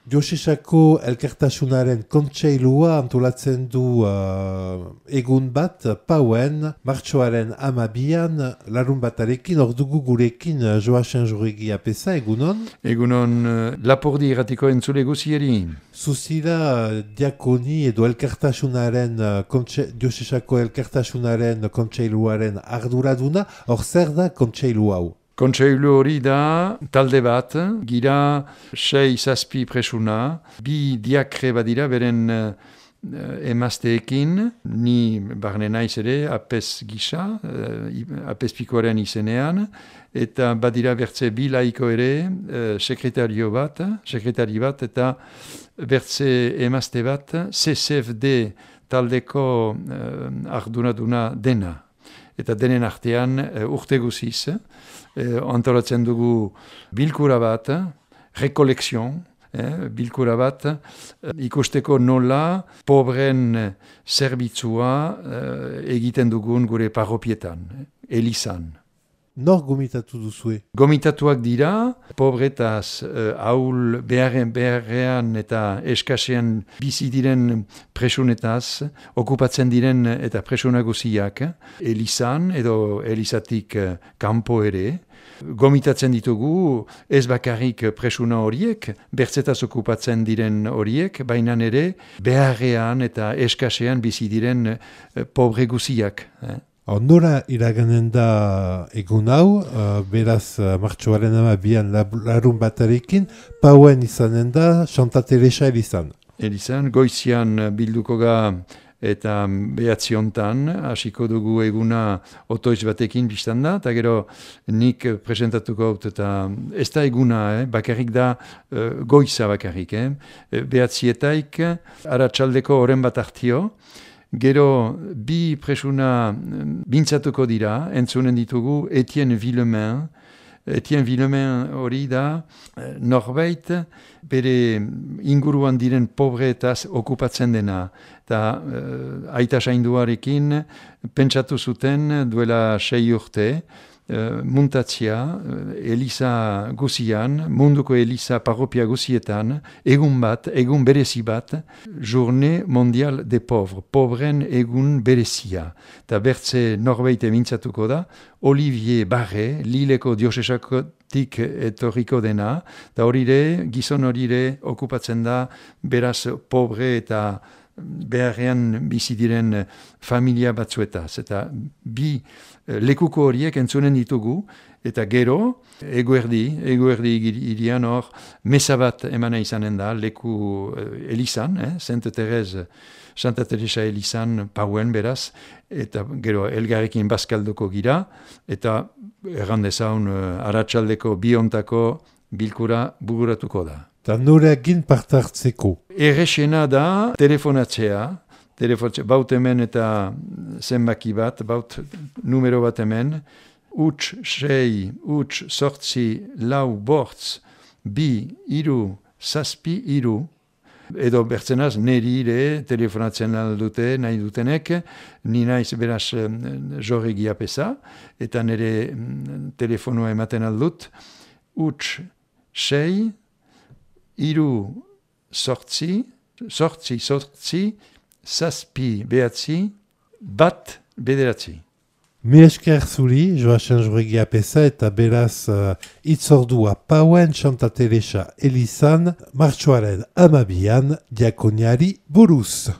Josesako elkartasunaren kontseilua antolatzen du egun bat, Pauen, martxoaren 12an, larun batarekin, ordugu gurekin Joasen Joregi apesa, egunon? Egunon Lapurdi irratiko entzule guzieri. Zuzira diakoni edo elkartasunaren, Josesako elkartasunaren kontseiluaren arduraduna, hor zer da kontseilu hau? Kontseilu hori da talde bat, gira 6-7 presuna, 2 diakre badira beren emazteekin, ni barne naiz ere apes gisa, apespikoaren izenean, eta badira bertze 2 laiko ere, sekretari bat, eta bertze emazte bat, CCFD taldeko arduraduna dena. Eta denen artean urte guziz, antolatzen dugu bilkura bat, rekolekzion, bilkura bat, ikusteko nola pobren zerbitzua egiten dugun gure parropietan, elizan. Nor gomitatu duzue? Gomitatuak dira, pobretaz, ahul beharrean eta eskasean bizi diren presunetaz, okupatzen diren eta presuna guziak, elizan edo elizatik kanpo ere. Gomitatzen ditugu ez bakarrik presuna horiek, bertzetaz okupatzen diren horiek, baina ere beharrean eta eskasean bizi diren pobre guziak. Nora iraganen da egun hau, beraz martxoaren 12an larun batarekin, Pauen izanen da Santa Teresa elizan. Elizan, goizian bilduko ga eta behatziontan, hasiko dugu eguna otoiz batekin biztan da, eta gero nik presentatuko haut, eta ez da eguna, bakarrik da goiza bakarrik. Behatzietaik, aratsaldeko oren bat hartio, gero 2 presuna bintzatuko dira, entzunen ditugu Etienne Villemain. Etienne Villemain hori da norbait bere inguruan diren pobretaz okupatzen dena. Eta aita sainduarekin pentsatu zuten duela 6 urte, muntatzia, eliza guzian, munduko eliza parropia guzietan, egun berezi bat, Journée mondial des pauvres, pobren egun berezia. Eta bertze norbeite mintzatuko da, Olivier Barre, Lileko diosesakotik etorriko dena, eta gizon horire okupatzen da, beraz pobre eta beharrean bizi diren familia batzuetaz. Eta 2 lekuko horiek entzunen ditugu, eta gero, eguerdi irian hor, mesa bat emana izanen da, leku elizan, Santa Teresa elizan, Pauen beraz, eta gero elgarrekin bazkalduko gira, eta errandezaun aratsaldeko biontako bilkura buguratuko da. Eta noreagin partartzeko? Errexena da telefonatzea, baut hemen eta zenbaki bat, baut numero bat hemen, huts 6, huts 8, 4, 2, 3, edo bertzenaz neri ere telefonatzen aldute, nahi dutenek, ni naiz beraz Joregi apesa, eta nire telefonua ematen aldut, huts 6, 3, 8, 7, 9, Mi esker zuri, Joasen Joregi apesa, eta beraz itzordua Pauen Santa Teresa elizan, martxoaren 12an diakoniari buruz.